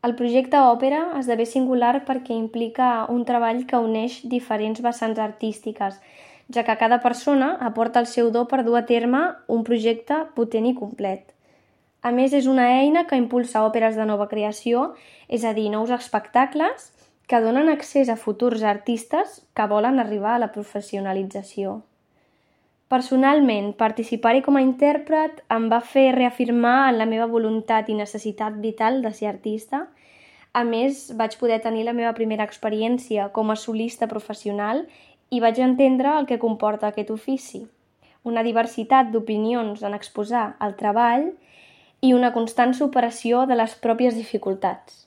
El projecte òpera esdevé singular perquè implica un treball que uneix diferents vessants artístiques, ja que cada persona aporta el seu do per dur a terme un projecte potent i complet. A més, és una eina que impulsa òperes de nova creació, és a dir, nous espectacles que donen accés a futurs artistes que volen arribar a la professionalització. Personalment, participar-hi com a intèrpret em va fer reafirmar en la meva voluntat i necessitat vital de ser artista. A més, vaig poder tenir la meva primera experiència com a solista professional i vaig entendre el que comporta aquest ofici. Una diversitat d'opinions en exposar el treball i una constant superació de les pròpies dificultats.